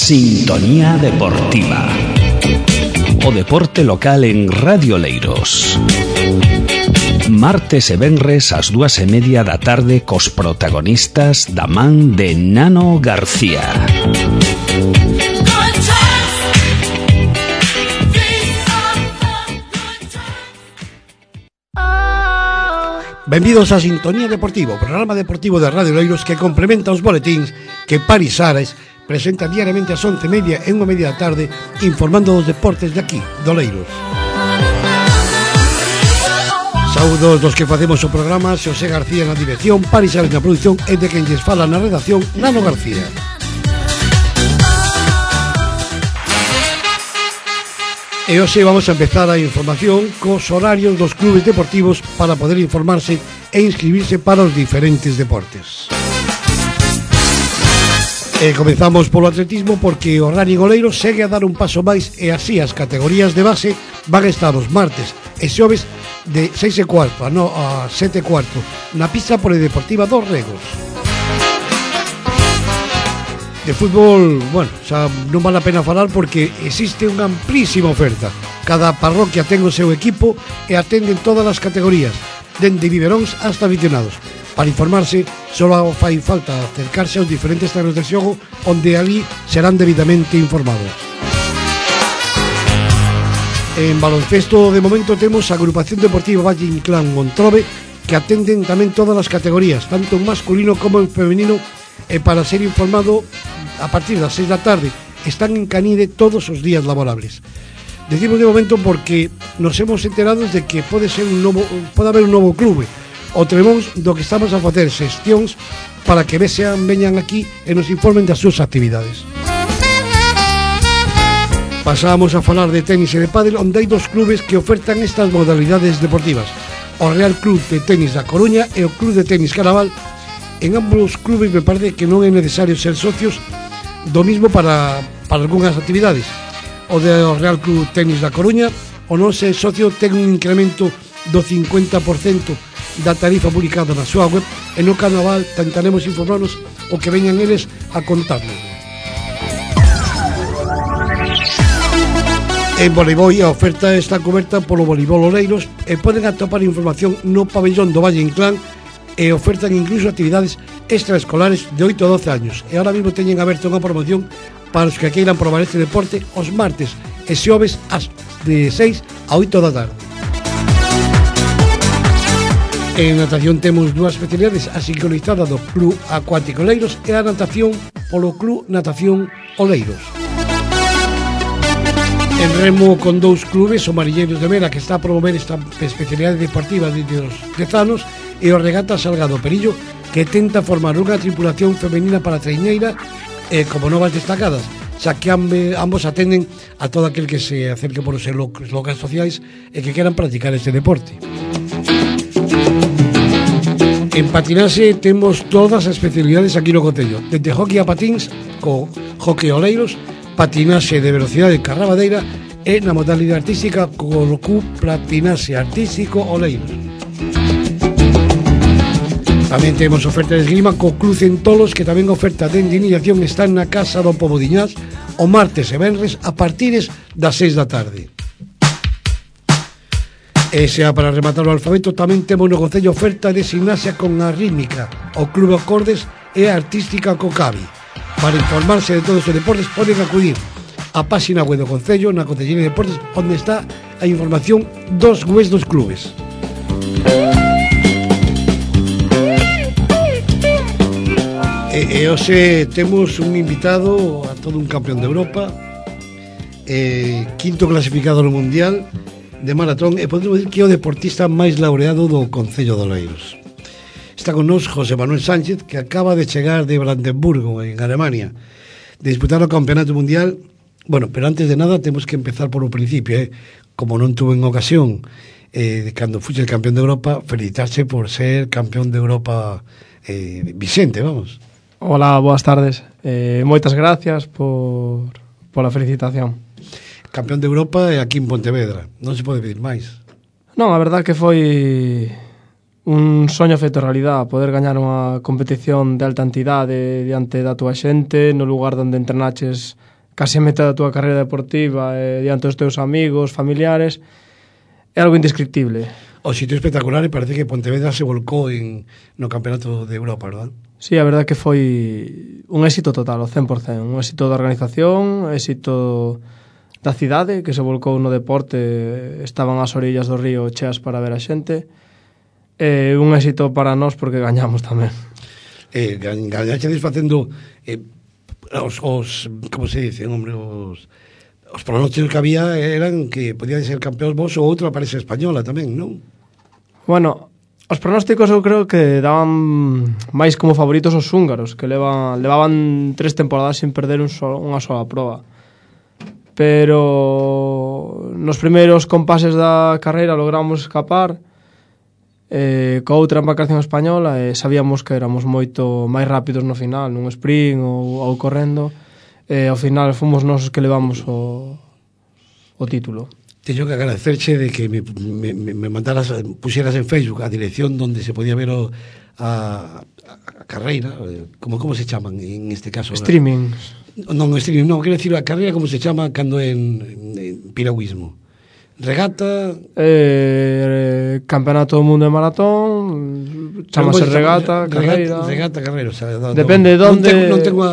Sintonía Deportiva. O deporte local en Radio Oleiros. Martes e venres ás 2:30 da tarde cos protagonistas da man de Nano García. Benvidos a Sintonía Deportiva, o programa deportivo de Radio Oleiros que complementa os boletíns que Paris Ares presenta diariamente ás 11:30 e 1:30 da tarde, informando dos deportes de aquí, de Oleiros. Saúdos dos que facemos o programa, Xosé García na dirección, Paris Ares na produción e de quen lles fala na redacción, Nano García. E hoxe vamos a empezar a información cos horarios dos clubes deportivos para poder informarse e inscribirse para os diferentes deportes. E comezamos polo atletismo porque o Running Oleiros segue a dar un paso máis e así as categorías de base van a estar os martes e xoves de 6:15 a 7:15 na pista polideportiva dos Regos. De fútbol, bueno, xa non vale a pena falar porque existe unha amplísima oferta. Cada parroquia ten o seu equipo e atenden todas as categorías, dende biberóns hasta aficionados. Para informarse, só fai falta acercarse aos diferentes terrenos de xogo onde ali serán debidamente informados. En baloncesto, de momento, temos a Agrupación Deportiva Valle Inclán Montrobe que atenden tamén todas as categorías, tanto en masculino como en femenino, e para ser informado a partir das 6 da tarde están en Canide todos os días laborables. Decimos de momento porque nos hemos enterado de que pode haber un novo clube o Tremóns do que estamos a facer xestións para que veñan aquí e nos informen das súas actividades. Pasamos a falar de tenis e de pádel, onde hai dos clubes que ofertan estas modalidades deportivas: o Real Club de Tenis da Coruña e o Club de Tenis Caraval. En ambos clubes me parece que non é necesario ser socios, do mismo para algunhas actividades. O de Real Club Tenis da Coruña, o non ser socio ten un incremento do 50% da tarifa publicada na súa web, e no Carnaval tentaremos informarnos o que veñan eles a contarnos. En voleibol a oferta está coberta polo Voleibol Oleiros e poden atopar información no pabellón do Valle Inclán e ofertan incluso actividades extraescolares de 8 a 12 años. E ahora mesmo teñen aberto unha promoción para os que queiran probar este deporte os martes e xoves de 6 a 8 da tarde. En natación temos dúas especialidades, a sincronizada do Club Acuático Oleiros e a natación polo Club Natación Oleiros. En remo con dous clubes, o Marilleiros de Mera, que está a promover esta especialidade deportiva desde os 10 anos, e o Regata Salgado Perillo, que tenta formar unha tripulación femenina para a traiñeira e como novas destacadas, xa que ambos atenden a todo aquel que se acerque por os locais sociais e que queran practicar este deporte. En patinaxe temos todas as especialidades aquí no concello, desde hockey a patins, co hockey Oleiros, patinaxe de velocidade carrabadeira e na modalidade artística co Club Patinaxe Artístico Oleiros. Tamén temos oferta de esgrima co Club Centolos, que tamén oferta de iniciación está na Casa do Pobo Diñás o martes e venres a partires das 6 da tarde. E xa para rematar o alfabeto tamén temos no concello oferta de gimnasia con a rítmica, o Club Acordes e a artística co Cavi. Para informarse de todos os deportes poden acudir á páxina web do concello na Concellería de Deportes, onde está a información dos webs dos clubes. E hoxe temos un invitado a todo un campeón de Europa, quinto clasificado no Mundial de maratón, e podemos dizer que é o deportista máis laureado do Concello de Oleiros. Está con nós José Manuel Sánchez, que acaba de chegar de Brandenburgo, en Alemania, de disputar o Campeonato Mundial. Bueno, pero antes de nada temos que empezar por o principio, como non tuve en ocasión cando fuxe el campeón de Europa, felicitarse por ser campeón de Europa Vicente, vamos. Hola, boas tardes. Moitas gracias pola felicitación. Campeón de Europa e aquí en Pontevedra, non se pode pedir máis. Non, a verdad que foi un soño feito realidad, poder gañar unha competición de alta entidade diante da túa xente, no lugar onde entrenaches case a metade da túa carreira deportiva diante dos teus amigos, familiares, é algo indescriptible. O sitio espectacular e parece que Pontevedra se volcou no Campeonato de Europa, verdad? Sí, a verdade que foi un éxito total, o 100%. Un éxito da organización, éxito da cidade, que se volcou no deporte, estaban as orillas do río cheas para ver a xente. Un éxito para nós porque gañamos tamén. Gañaxedes facendo os como se dice, hombre, os pronósticos que había eran que podían ser campeóns vos ou outra parece española tamén, non? Bueno, os pronósticos eu creo que daban máis como favoritos os húngaros, que levaban 3 temporadas sin perder unha sola proba. Pero nos primeiros compases da carreira logramos escapar coa outra embarcación española e sabíamos que éramos moito máis rápidos no final, nun sprint ou correndo. Ao final fomos nós que levamos o título. Teño que agradecerche de que me mandaras, puxeras en Facebook a dirección donde se podía ver a carreira, como se chaman en este caso? Streaming. Non, streaming, non, quero decir a carreira como se chama cando en piragüismo. Regata... Campeonato do mundo de maratón, chamase regata, carreira... Regata, carreira, o sea, depende de onde... Non tengo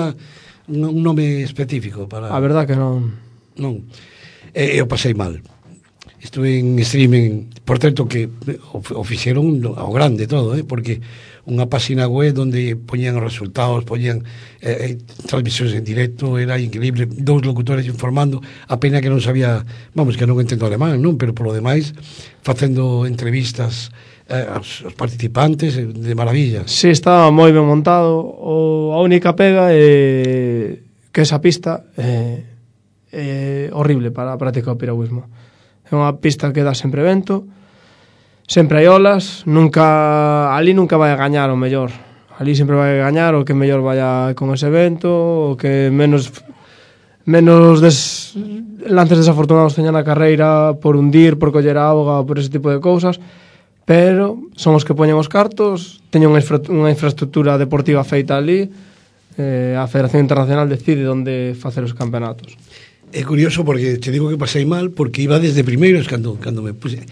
un nome específico para... A verdad que non. Non. Eu pasei mal. Estuve en streaming, por certo que o fixeron ao grande todo, porque unha página web onde poñían os resultados, poñían transmisións en directo, era increíble, 2 locutores informando, a pena que non sabía, vamos, que non entendo alemán, non? Pero polo demais, facendo entrevistas aos participantes de maravilla. Sí, estaba moi ben montado. A única pega é que esa pista é horrible para practicar o piragüismo. É unha pista que dá sempre vento, sempre hai olas, ali nunca vai a gañar o mellor. Ali sempre vai a gañar o que mellor vaya con ese vento, o que menos lances desafortunados teña na carreira por hundir, por coller a auga, por ese tipo de cousas. Pero son os que poñen os cartos, teñen unha infraestructura deportiva feita ali, a Federación Internacional decide onde facer os campeonatos. É curioso porque te digo que pasei mal porque iba desde primeiros cando me puse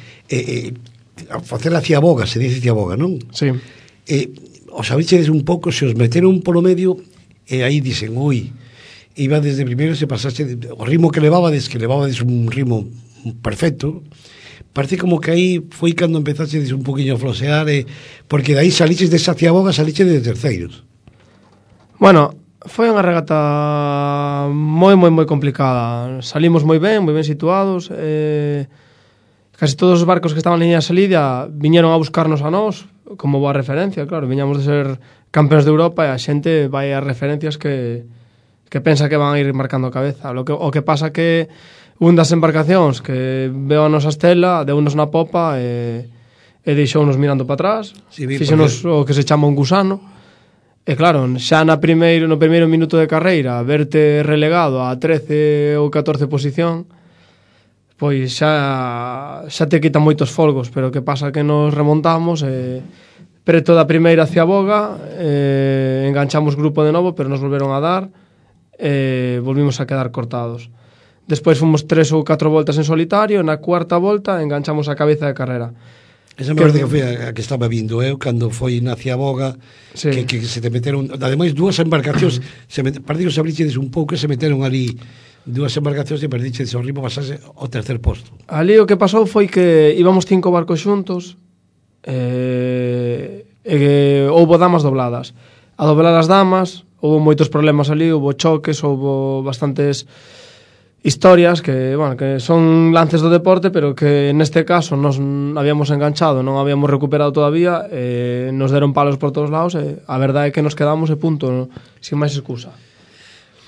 a facer a ciaboga, se dice ciaboga, non? Sí. Os avichedes un pouco, se os meteron polo medio e aí dicen, ui, iba desde primeiros e pasaste o ritmo que levabades un ritmo perfecto. Parece como que aí foi cando empezaxedes un poquinho a flosear porque daí saliches desa ciaboga, saliches de terceiros. Bueno, foi unha regata moi complicada. Salimos moi ben situados. Casi todos os barcos que estaban en liña de salida viñeron a buscarnos a nós como boa referencia, claro. Viñamos de ser campeóns de Europa e a xente vai a referencias que pensa que van a ir marcando a cabeza. O que pasa que un das embarcacións que veo a nosa estela deu-nos na popa e deixounos mirando para atrás. Sí, fixenos o que se chama un gusano. E claro, xa no primeiro minuto de carreira verte relegado a 13 ou 14 posición, pois xa te quitan moitos folgos, pero que pasa que nos remontamos preto da primeira ciaboga, enganchamos grupo de novo, pero nos volveron a dar e volvimos a quedar cortados. Despois fomos 3 ou 4 voltas en solitario, na cuarta volta enganchamos a cabeza de carreira. Esa me parece que foi a que estaba vindo cando foi na ciaboga, sí. que se te meteron, ademais 2 embarcacións parece que os abrichedes un pouco e se meteron ali 2 embarcacións e perdichedes o ritmo, pasase ao tercer posto. Ali o que pasou foi que íbamos 5 barcos xuntos e houbo damas dobladas. A doblar as damas houbo moitos problemas ali, houbo choques, houbo bastantes historias que son lances do deporte, pero que neste caso nos habíamos enganchado, non habíamos recuperado todavía, nos deron palos por todos lados e a verdade é que nos quedamos e punto, sin máis excusa.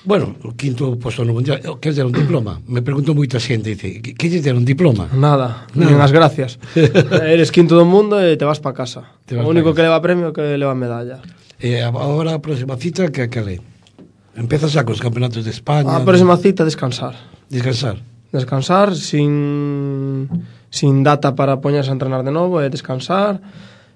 Bueno, o quinto posto no mundial, que es de un diploma? Me pregunto moita xente, dice, que es de un diploma? Nada, nin as gracias. Eres quinto do mundo e te vas pa casa. O único que leva premio que leva medalla. Agora a próxima cita que é? Empezas xa cos campeonatos de España. A próxima cita, descansar. Descansar sin data para poñerse a entrenar de novo, descansar,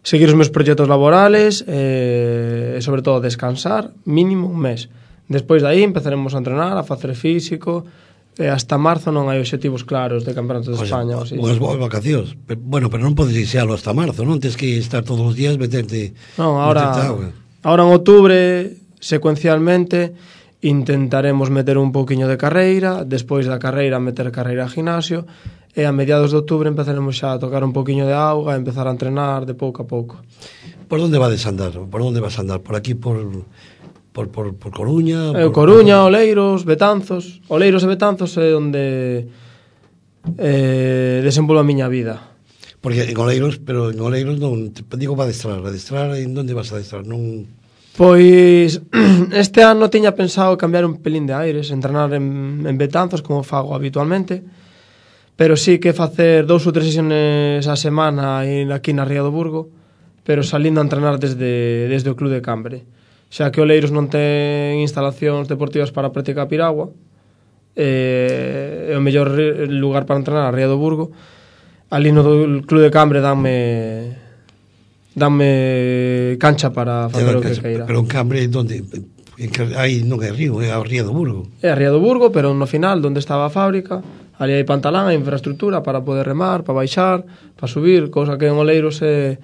seguir os meus proxectos laborales e sobre todo descansar mínimo un mes. Despois de aí empezaremos a entrenar, a facer físico, e hasta marzo non hai obxectivos claros de campeonato de España. Unhas boas vacacións. Pero non podes inicialo hasta marzo, non? Tens que estar todos os días meterte... Non, ahora en outubro, secuencialmente, intentaremos meter un pouquiño de carreira, despois da carreira meter carreira a gimnasio, e a mediados de outubro empezaremos xa a tocar un pouquiño de auga, a empezar a entrenar de pouco a pouco. Por onde vas andar? Por onde vas andar? Por aquí, por Coruña? Coruña, Oleiros, Betanzos. Oleiros e Betanzos é onde desenvolvo a miña vida. Porque en Oleiros, pero en Oleiros non, digo para adestrar, en onde vas a adestrar? Non... Pois este ano tiña pensado cambiar un pelín de aires, entrenar en Betanzos como fago habitualmente, pero sí que facer 2 ou 3 sesiones a semana aquí na Ría do Burgo, pero salindo a entrenar desde o Club de Cambre, xa que Oleiros non ten instalacións deportivas para practicar piragua, é o mellor lugar para entrenar a Ría do Burgo. Ali no Club de Cambre danme cancha para facer o que queira. Pero en Cambre, onde? Aí non é río, é a Ría do Burgo. É a Ría do Burgo, pero no final, onde estaba a fábrica, ali hai pantalán, hai infraestructura para poder remar, para baixar, para subir, cousa que en Oleiros é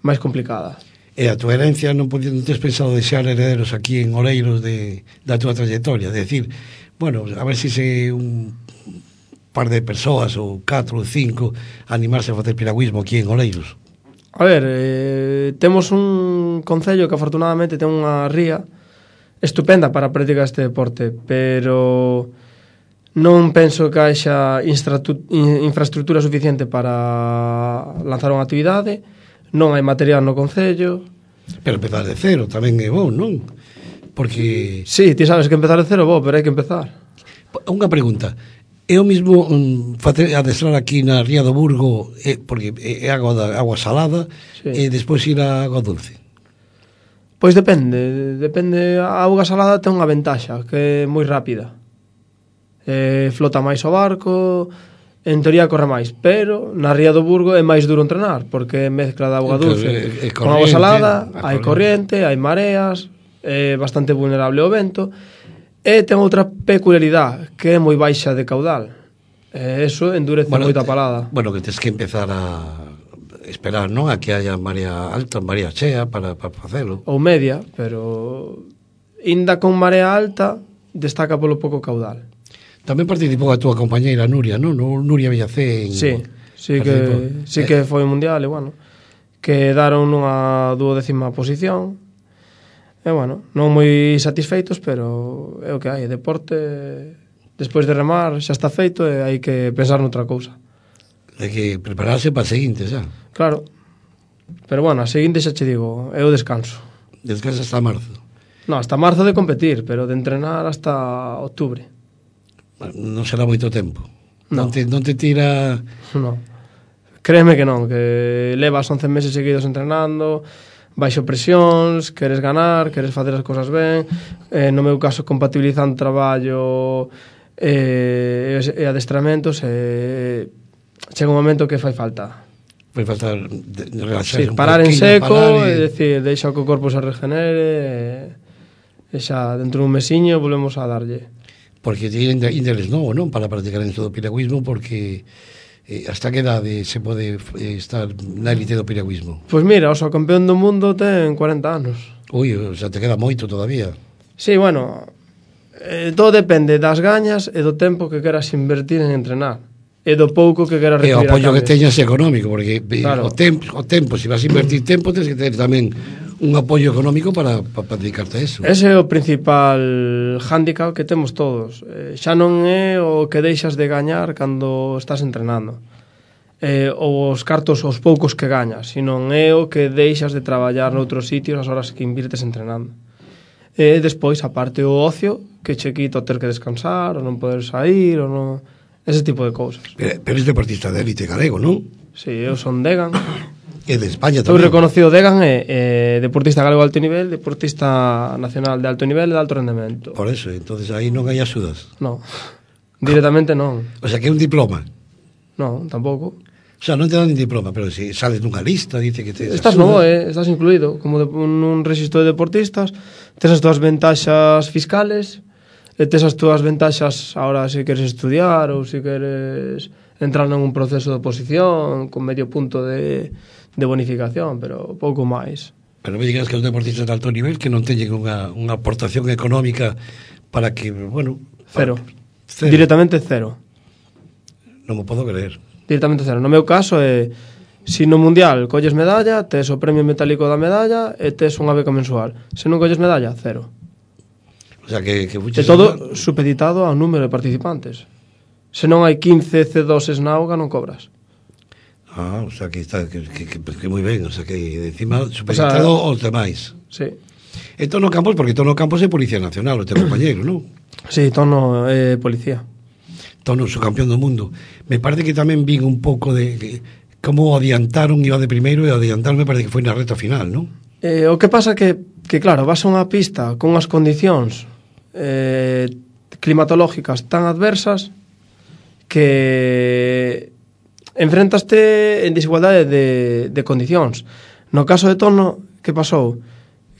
máis complicada. E a tua herencia non tes pensado deixar herederos aquí en Oleiros da tua trayectoria? De decir, bueno, a ver se un par de persoas ou 4 ou 5 animarse a facer piragüismo aquí en Oleiros. A ver, temos un concello que afortunadamente ten unha ría estupenda para practicar este deporte, pero non penso que haxa infraestructura suficiente para lanzar unha actividade, non hai material no concello. Pero empezar de cero tamén é bom, non? Porque... Sí, ti sabes que empezar de cero é bo, pero hai que empezar. Unha pregunta. É o mismo adestrar aquí na Ría do Burgo, porque é agua salada, sí, e despois ir a agua dulce? Pois depende. A auga salada ten unha ventaxa, que é moi rápida. Flota máis o barco, en teoría corre máis, pero na Ría do Burgo é máis duro entrenar, porque é mezcla de auga dulce con auga salada, hai corriente, hai mareas, é bastante vulnerable ao vento. E ten outra peculiaridade, que é moi baixa de caudal. Eso endurece moito a palada. Bueno, que tens que empezar a esperar, non? A que haya marea alta, marea chea para facelo. Ou media, pero inda con marea alta destaca polo pouco caudal. Tamén participou a túa compañeira Nuria, non? Nuria Villacén. Sí que foi mundial, e bueno, quedaron nunha 12ª posición. E bueno, non moi satisfeitos, pero é o que hai, deporte, despois de remar xa está feito e hai que pensar noutra cousa. Hai que prepararse para a seguinte xa. Claro, pero bueno, a seguinte xa che digo, é o descanso. Descansa hasta marzo? Non, hasta marzo de competir, pero de entrenar hasta outubro. Non será moito tempo? Non te tira... Non, créeme que non, que levas 11 meses seguidos entrenando, baixo presións, queres ganar, queres facer as cousas ben, no meu caso compatibilizando traballo e adestramentos, chega un momento que fai falta. Fai falta relaxarse, sí, parar en seco, é dicir, deixa que o corpo se regenere e xa dentro dun mesiño volvemos a darlle. Porque ti ainda eres novo, non? Para practicar en todo o piragüismo, porque... hasta que edade se pode estar na élite do piragüismo? Pois mira, o campeón do mundo ten 40 anos. Ui, xa te queda moito todavía. Sí, bueno, todo depende das gañas e do tempo que queras invertir en entrenar e do pouco que queras recibir. E o apoio que teñas económico, porque claro, o tempo, se vas a invertir tempo, tens que ter tamén un apoio económico para dedicarte a eso. Ese é o principal hándicap que temos todos. Xa non é o que deixas de gañar cando estás entrenando, ou os cartos os poucos que gañas, sino é o que deixas de traballar noutros sitios as horas que invirtes entrenando. E despois, aparte, o ocio que che quita o ter que descansar, ou non poder sair, ou non... ese tipo de cousas. Pero és deportista de élite galego, non? Sí, eu son Degan. E de España tamén. Estou reconocido Degan, deportista galego de alto nivel, deportista nacional de alto nivel e de alto rendemento. Por eso, entonces aí non hai axudas. Non, directamente non. O sea, que é un diploma. Non, tampouco. O sea, non te dan nin diploma, pero se sales nunha lista, dice que te Estás no BOE, estás incluído como nun registro de deportistas, tes as túas ventaxas fiscales, e tes as túas ventaxas ahora se queres estudiar ou se queres entrar nun proceso de oposición con medio punto de bonificación, pero pouco máis. Pero me digas que os deportistas de alto nivel que non teñen unha aportación económica para que, bueno... Cero. Directamente cero. Non me podo creer. Directamente cero. No meu caso é se no mundial colles medalla, tes o premio metálico da medalla e tes unha beca mensual. Se non colles medalla, cero. O sea que é todo supeditado ao número de participantes. Se non hai 15 C2s na auga non cobras. O sea que está que moi ben, o sea que encima supeditado aos demais. Sí. E Tono Campos, porque Tono Campos é Policía Nacional, o teu compañeiro, non? Sí, Tono é policía. Tono, o campeón do mundo. Me parece que tamén vin un pouco de como adiantaron, iba de primeiro e adiantaron, me parece que foi na reta final, non? O que pasa que claro, vas a unha pista con unhas condicións climatológicas tan adversas que enfrentaste en desigualdade de condicións. No caso de Tono, que pasou?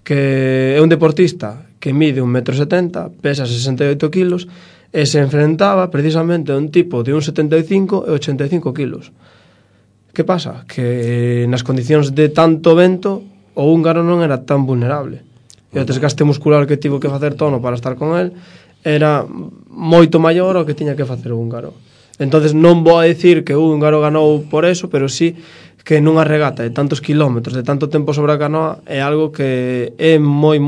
Que é un deportista que mide 1,70 m, pesa 68 kilos, e se enfrentaba precisamente a un tipo de 1,75 e 85 kilos. Que pasa? Que nas condicións de tanto vento o húngaro non era tan vulnerable. E o desgaste muscular que tivo que facer Tono para estar con el era moito maior ao que tiña que facer o húngaro. Entonces non vou a dicir que o húngaro ganou por eso, pero sí que nunha regata de tantos kilómetros, de tanto tempo sobre a canoa, é algo que é moi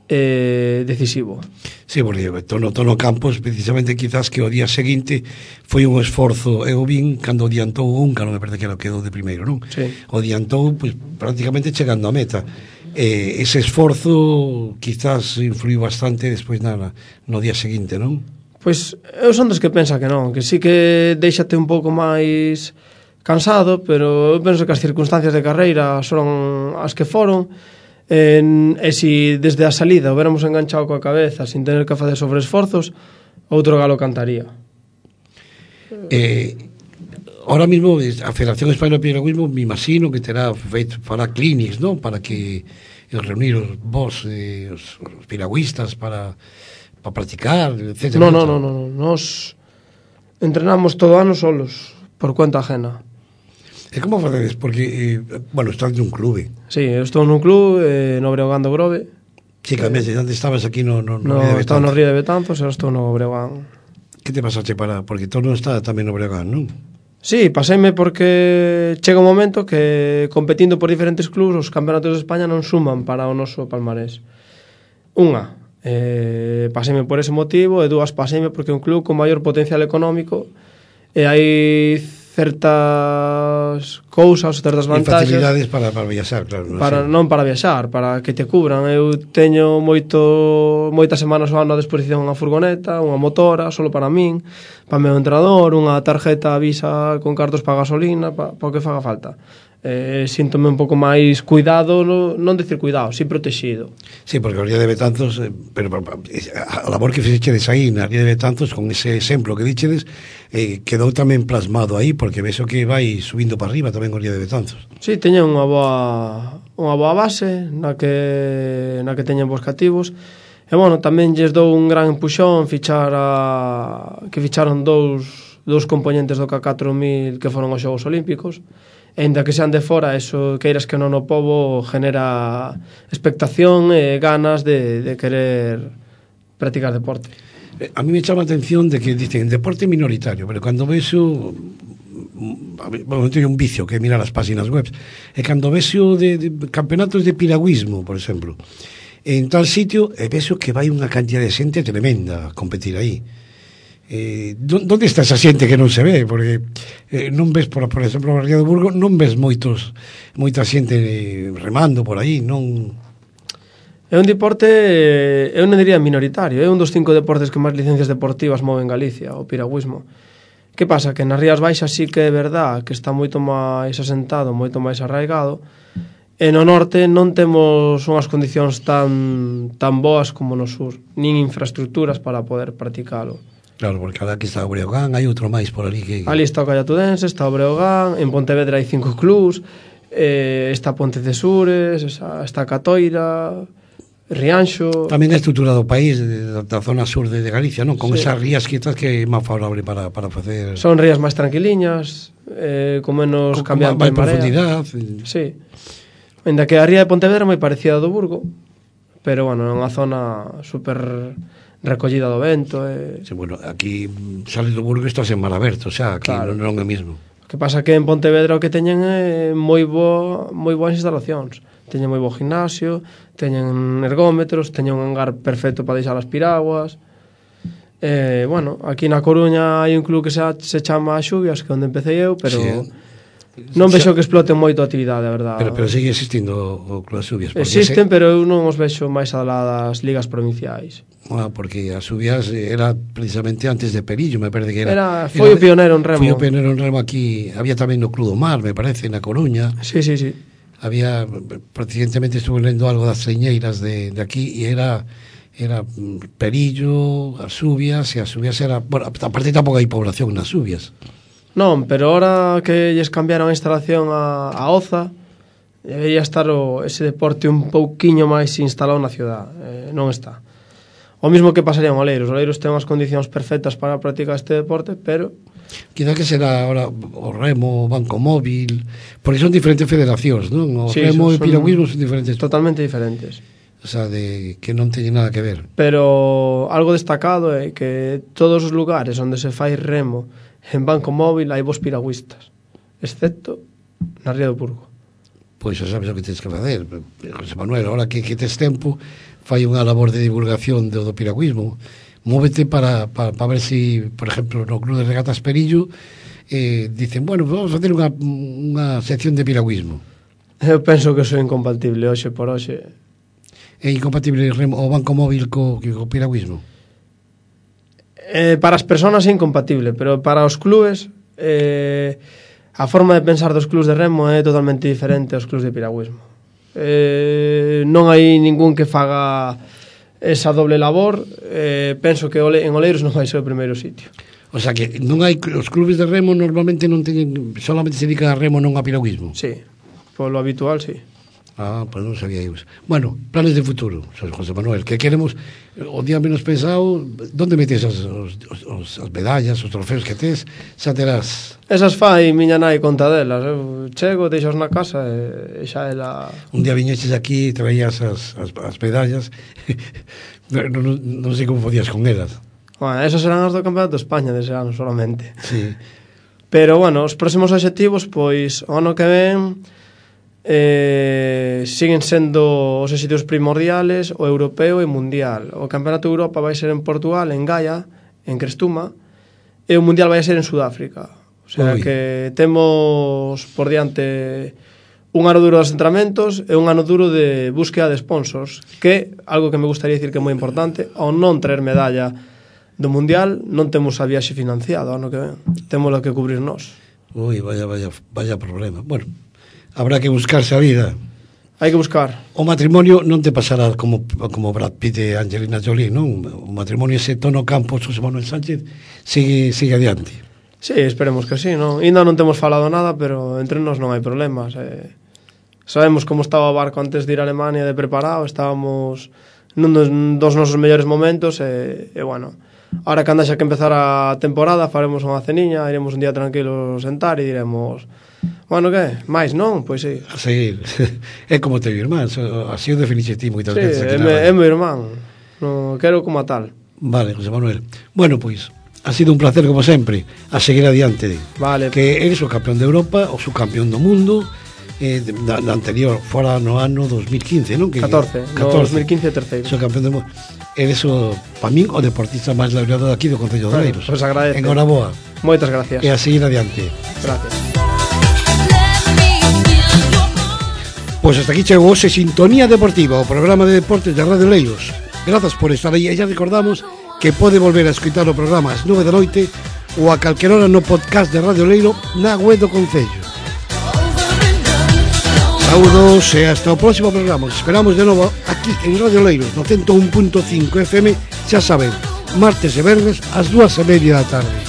decisivo. Sí, porque Tono Campos, precisamente quizás que o día seguinte foi un esforzo, eu vin cando adiantou o húngaro, me parece que quedou de primeiro, non? Sí. O adiantou pues, prácticamente chegando á meta. Ese esforzo quizás influiu bastante despois no día seguinte, non? Pois eu son dos que pensa que non, que sí que deixate un pouco máis cansado, pero eu penso que as circunstancias de carreira son as que foron. E se desde a salida o veramos enganchado coa cabeza sin tener que facer sobreesforzos, outro galo cantaría. Ahora mismo a Federación Española de Piragüismo me imagino que terá feito para clinics, non? Para que reunir os piragüistas para practicar, etc. Non, nos entrenamos todo ano solos, por conta ajena. E como facedes? Porque, bueno, estás nun clube. Sí, eu estou nun club no Breogán do Grove. Sí, cambiaste, antes estabas aquí no estaba no Río de Betanzos, e estou no Breogán. Que te pasaste porque todo non está tamén no Breogán, non? Sí, paseime porque chega un momento que competindo por diferentes clubs os campeonatos de España non suman para o noso palmarés. Unha, paseime por ese motivo, e dúas, paseime porque é un club con maior potencial económico e hai certas cousas, certas vantaxes. E facilidades para viaxar, claro. Non para viaxar, para que te cubran. Eu teño moitas semanas ao ano a disposición unha furgoneta, unha motora, solo para min, para o meu entrenador, unha tarjeta Visa con cartos para gasolina, para o que faga falta. Síntome un pouco máis cuidado, non decir cuidado, si protegido. Sí, porque o Ría de Betanzos, pero a labor que fixedes aí na Ría de Betanzos, con ese exemplo que dichedes, quedou tamén plasmado aí, porque ves o que vai subindo para arriba tamén o Ría de Betanzos. Sí, teñen unha boa base na que teñen bons cativos. E bueno, tamén lles dou un gran empuxón que ficharon dous componentes do K4000 que foron aos Xogos Olímpicos. E ainda que sean de fora, eso queiras que non o pobo genera expectación e ganas de querer practicar deporte. A mí me chama a atención de que dicen deporte minoritario, pero cando vexo, bueno, teño un vicio que é mirar as páxinas web, e cando vexo de campeonatos de piragüismo, por exemplo, en tal sitio, e vexo que vai unha cantidad de xente tremenda a competir aí. Donde está esa xente que non se ve? Porque non ves, por exemplo, no Ría do Burgo non ves moita xente remando por aí, non... É un deporte, eu non diría minoritario, é un dos 5 deportes que máis licencias deportivas move en Galicia, o piragüismo. Que pasa? Que nas Rías Baixas sí que é verdad que está moito máis asentado, moito máis arraigado, e no norte non temos unhas condicións tan boas como no sur, nin infraestructuras para poder practicalo. Claro, porque ahora aquí está o Breogán, hai outro máis por ali que... Ali está o Callatudense, está o Breogán, en Pontevedra hai 5 clubs, está Ponte de Sures, está Catoira, Rianxo... Tamén a estrutura do país, da zona sur de Galicia, non? Con esas rías quizás que é máis favorable para facer... Son rías máis tranquiliñas, con menos cambiante máis de marea. profundidade. Sí. Ainda que a ría de Pontevedra é moi parecida ao do Burgo, pero, bueno, é unha zona super recollida do vento. Sí, bueno, aquí sales do Burgo e estás en mar aberto, o sea, aquí claro. non é o mismo. O que pasa que en Pontevedra o que teñen é moi boas instalacións. Teñen moi bo gimnasio, teñen ergómetros, teñen un hangar perfecto para deixar as piraguas. Bueno, aquí na Coruña hai un club que se chama Xubias, que é onde empecé eu, pero non vexo que exploten moito a actividade, a verdade. Pero sigue existindo o Club Xubias. Existen, pero eu non os vexo máis alá das ligas provinciais. Porque a Xubias era precisamente antes de Perillo, me parece que era. Foi o pioneiro en remo. Foi o pioneiro en remo aquí. Había tamén no Club do Mar, me parece, na Coruña. Sí. Había, recientemente estuve lendo algo das señeiras de aquí e era Perillo, as Xubias, e as Xubias era... Bueno, aparte tampouco hai población nas Xubias. Non, pero ahora que lles cambiaron a instalación a Oza, debería estar ese deporte un pouquiño máis instalado na ciudad. Non está. O mismo que pasaría en Oleiros. Oleiros ten unhas condicións perfectas para practicar este deporte, pero... Quizá que será ahora o remo, o banco móvil, porque son diferentes federacións, non? O remo e o piragüismo son diferentes. Totalmente diferentes. O sea, que non teñen nada que ver. Pero algo destacado é que todos os lugares onde se fai remo en banco móvil hai vos piragüistas, excepto na Ría do Burgo. Pois xa sabes o que tens que facer, José Manuel, ahora que tes tempo, fai unha labor de divulgación do piragüismo. Móvete para ver si, por exemplo, no Club de Regatas Perillo dicen, bueno, vamos a facer unha sección de piragüismo. Eu penso que sou incompatible hoxe por hoxe. É incompatible o banco móvil co piragüismo? Para as persoas é incompatible, pero para os clubes a forma de pensar dos clubes de remo é totalmente diferente aos clubes de piragüismo. Non hai ningún que faga esa doble labor. Penso que en Oleiros non vai ser o primeiro sitio. O sea que non hai, os clubes de remo normalmente non teñen, solamente se dedican a remo, non a piragüismo. Sí, polo habitual, sí. Pues non sabía iso. Bueno, planes de futuro, José Manuel, que queremos o día menos pensado, onde metes as medallas, os trofeos que tes, xa terás. Esas fai miña nai conta delas. Eu chego, deixos na casa e xa ela... Un día viñeches aquí e traías as medallas, non sei como podías con elas. Bueno, esas serán as do Campeonato de España dese ano solamente. Sí. Pero, bueno, os próximos obxectivos, pois, o ano que ven... siguen sendo os éxitos primordiales, o europeo e mundial. O Campeonato de Europa vai ser en Portugal, en Gaia, en Crestuma, e o mundial vai ser en Sudáfrica. O sea que temos por diante un ano duro de asentramentos e un ano duro de búsqueda de sponsors, que algo que me gustaría dicir que é moi importante, ao non traer medalla do mundial, non temos a viaxe financiada ano que ven, temos que cubrir nós. Vaya problema. Bueno, habrá que buscarse a vida. Hai que buscar. O matrimonio non te pasará como Brad Pitt e Angelina Jolie, non? O matrimonio ese Tono Campos, José Manuel Sánchez sigue adiante. Sí, esperemos que sí, non? Ainda non temos falado nada, pero entre nós non hai problemas. Sabemos como estaba o barco antes de ir a Alemania de preparado, estábamos nun dos nosos mellores momentos e bueno, ahora que anda xa que empezar a temporada faremos unha ceniña, iremos un día tranquilo sentar e diremos, bueno, que? Mais, non? Pois sí. A seguir. É como teu irmán, así o definixe ti moitas veces. Sí, é meu irmán. Non quero como a tal. Vale, José Manuel. Bueno, pois, ha sido un placer como sempre, a seguir adiante. Vale. Que eres o campeón de Europa, o subcampeón do mundo, da anterior, fora no ano 2015, non? 14. No 2015 terceiro. O campeón do mundo. Eres para min, o deportista máis laureado daqui do Concello de Oleiros. Pois agradece. Enhoraboa. Moitas gracias. E a seguir adiante. Gracias. Pois hasta aquí chegou hoxe Sintonía Deportiva, o programa de deportes de Radio Oleiros. Grazas por estar aí e xa recordamos que pode volver a escoitar o programa ás 9 da noite ou a calquera hora no podcast de Radio Oleiro na web do Concello. Saúdos e hasta o próximo programa. Os esperamos de novo aquí en Radio Oleiros no 101.5 FM, xa saben, martes e venres ás 2:30 da tarde.